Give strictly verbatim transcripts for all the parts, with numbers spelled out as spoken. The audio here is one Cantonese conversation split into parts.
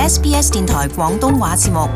S B S 電台廣東話節目。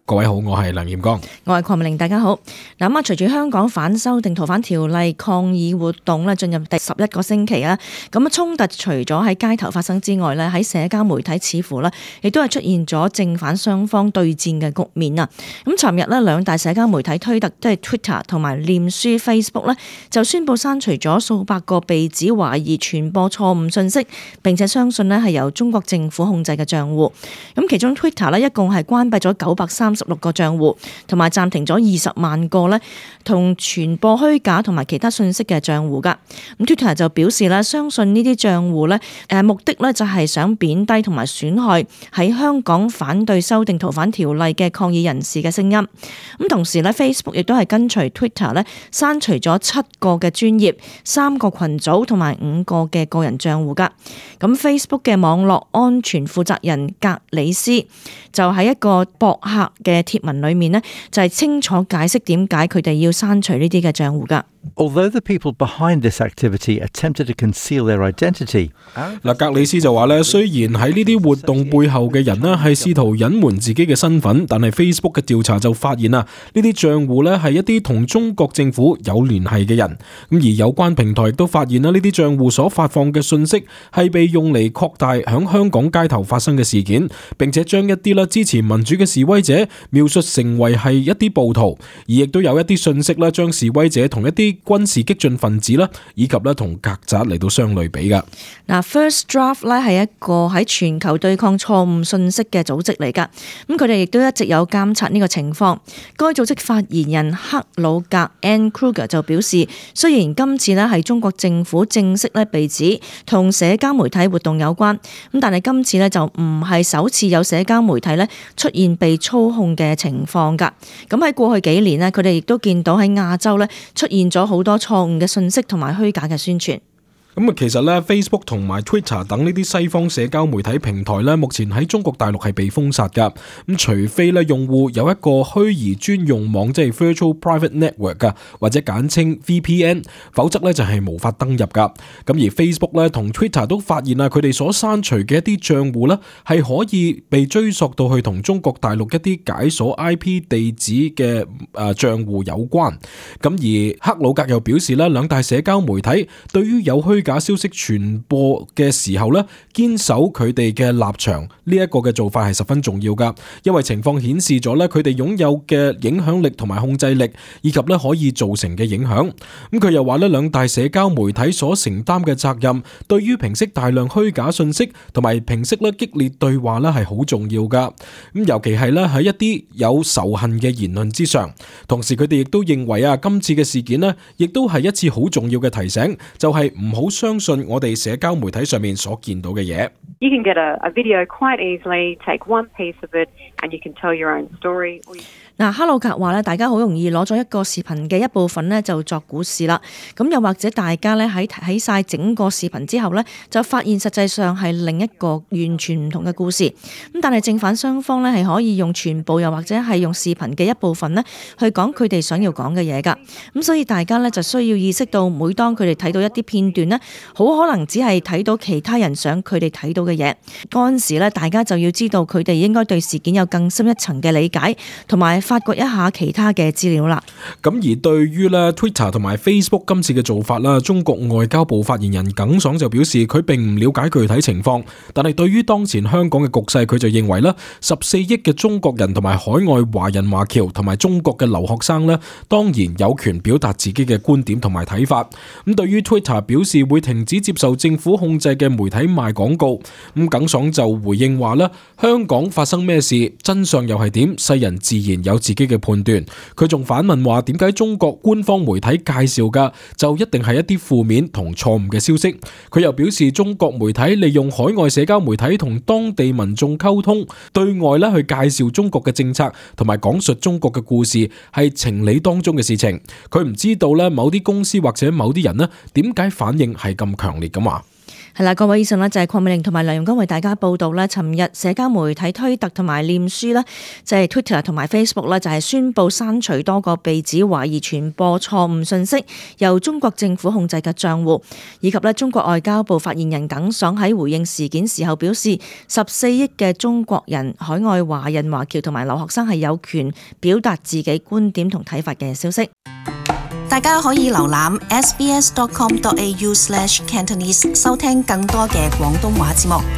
各位好，我係梁彥剛，我係鄺美玲，大家好。嗱咁啊，隨住香港反修訂逃犯條例抗議活動咧進入第十一個星期啦，咁啊衝突除咗喺街頭發生之外咧，喺社交媒體似乎咧亦都係出現咗正反雙方對戰嘅局面啊。咁尋日咧兩大社交媒體推特即係 Twitter 同埋臉書 Facebook 咧就宣布刪除咗數百個被指懷疑傳播錯誤信息，並且相信咧係由中國政府控制嘅賬戶。咁其中 Twitter 咧一共係關閉咗九百三十六個賬戶，同埋暫停咗二十萬個咧同傳播虛假同埋其他信息嘅賬戶噶。咁 Twitter 就表示咧，相信呢啲賬戶咧誒目的咧就係想貶低同埋損害喺香港反對修訂逃犯條例嘅抗議人士嘅聲音。咁同時咧 Facebook 亦都係跟隨 Twitter 咧刪除咗七個嘅專頁、三個群組同埋五個嘅個人賬戶噶。咁 Facebook 嘅網絡安全負責人格里斯就喺一個博客嘅貼文裏面呢，就係清楚解釋點解佢哋要刪除呢啲嘅賬戶噶。Although the people behind this activity attempted to conceal their identity， 嗱，格里斯就話咧，雖然喺呢啲活動背後嘅人咧係試圖隱瞞自己嘅身份，但係 Facebook 嘅調查就發現啊，呢啲賬戶咧係一啲同中國政府有聯繫嘅人。咁而有關平台亦都發現啦，呢啲賬戶所發放嘅信息係被用嚟擴大響香港街頭發生嘅事件，並且將一啲咧支持民主嘅示威者描述成為係一啲暴徒，而亦都有一啲信息咧將示威者同一啲軍事激進分子啦，以及咧同曱甴嚟到相類比噶。嗱 ，First Draft 咧係一個喺全球對抗錯誤信息嘅組織嚟噶，咁佢哋亦都一直有監察呢個情況。該組織發言人克魯格 Anne Kruger 就表示，雖然今次咧係中國政府正式咧被指同社交媒體活動有關，咁但係今次咧就唔係首次有社交媒體咧出現被操控嘅情況噶。咁喺過去幾年咧，佢哋亦都見到喺亞洲咧出現咗好多錯誤嘅信息同埋虛假嘅宣傳。咁啊，其實咧 Facebook 同埋 Twitter 等呢啲西方社交媒體平台咧，目前喺中國大陸係被封殺噶。咁除非咧用戶有一個虛擬專用網，即係 Virtual Private Network 噶，或者簡稱 V P N， 否則咧就係無法登入噶。咁而 Facebook 咧同 Twitter 都發現啊，佢哋所刪除嘅一啲賬戶咧係可以被追溯到去同中國大陸一啲解鎖 I P 地址嘅誒賬戶有關。咁而克魯格又表示咧，兩大社交媒體對於有虛假消息傳播嘅時候咧，堅守佢哋嘅立場，呢一個嘅做法係十分重要噶，因為情況顯示咗咧，佢哋擁有嘅影響力同埋控制力，以及咧可以造成嘅影響。咁佢又話咧，兩大社交媒體所承擔嘅責任，對於平息大量虛假信息同埋平息咧激烈對話咧係好重要噶。咁尤其係咧喺一啲有仇恨嘅言論之上。同時佢哋亦都認為啊，今次嘅事件咧，亦都係一次好重要嘅提醒，就係唔好相信我哋社交媒體上面所見到嘅嘢。You can get a, a video quite easily, take one piece of it, and you can tell your own story. 嗱，克魯格話咧，大家好容易攞咗一個視頻嘅一部分咧，就作故事啦。咁又或者大家咧喺睇晒整個視頻之後咧，就發現實際上係另一個完全唔同嘅故事。咁但係正反雙方咧係可以用全部又或者係用視頻嘅一部分咧去講佢哋想要講嘅嘢㗎。咁所以大家咧就需要意識到，每當佢哋睇到一啲片段咧，好可能只係睇到其他人想佢哋睇到嘅嘢。嗰陣時咧，大家就要知道佢哋應該對事件有更深一層嘅理解，同埋發掘一下其他嘅資料啦。咁而對於咧 Twitter 同埋 Facebook 今次嘅做法啦，中國外交部發言人耿爽就表示佢並唔了解具體情況，但係對於當前香港嘅局勢，佢就認為咧十四億嘅中國人同埋海外華人華僑同埋中國嘅留學生咧，當然有權表達自己嘅觀點同埋睇法。咁對於 Twitter 表示會停止接受政府控制嘅媒體賣廣告，咁耿爽就回應話咧，香港發生咩事，真相又係點，世人自然有自己嘅判斷。佢仲反問話，點解中國官方媒體介紹嘅就一定係一啲負面同錯誤嘅消息？佢又表示，中國媒體利用海外社交媒體同當地民眾溝通，對外咧去介紹中國嘅政策同埋講述中國嘅故事，係情理當中嘅事情。佢唔知道咧某啲公司或者某啲人咧點解反應係咁強烈咁話。係啦，各位以上呢就係鄺美玲同埋梁容光為大家報道呢，尋日社交媒體推特同埋臉書呢，即係 Twitter 同埋 Facebook 呢，就係宣布刪除多個被指懷疑傳播錯誤信息由中國政府控制嘅賬戶，以及呢中國外交部發言人耿爽喺回應事件時候表示，十四億嘅中國人、海外華人華僑同埋留學生係有權表達自己觀點同睇法嘅消息。大家可以瀏覽 s b s dot com dot a u slash cantonese 收聽更多嘅廣東話節目。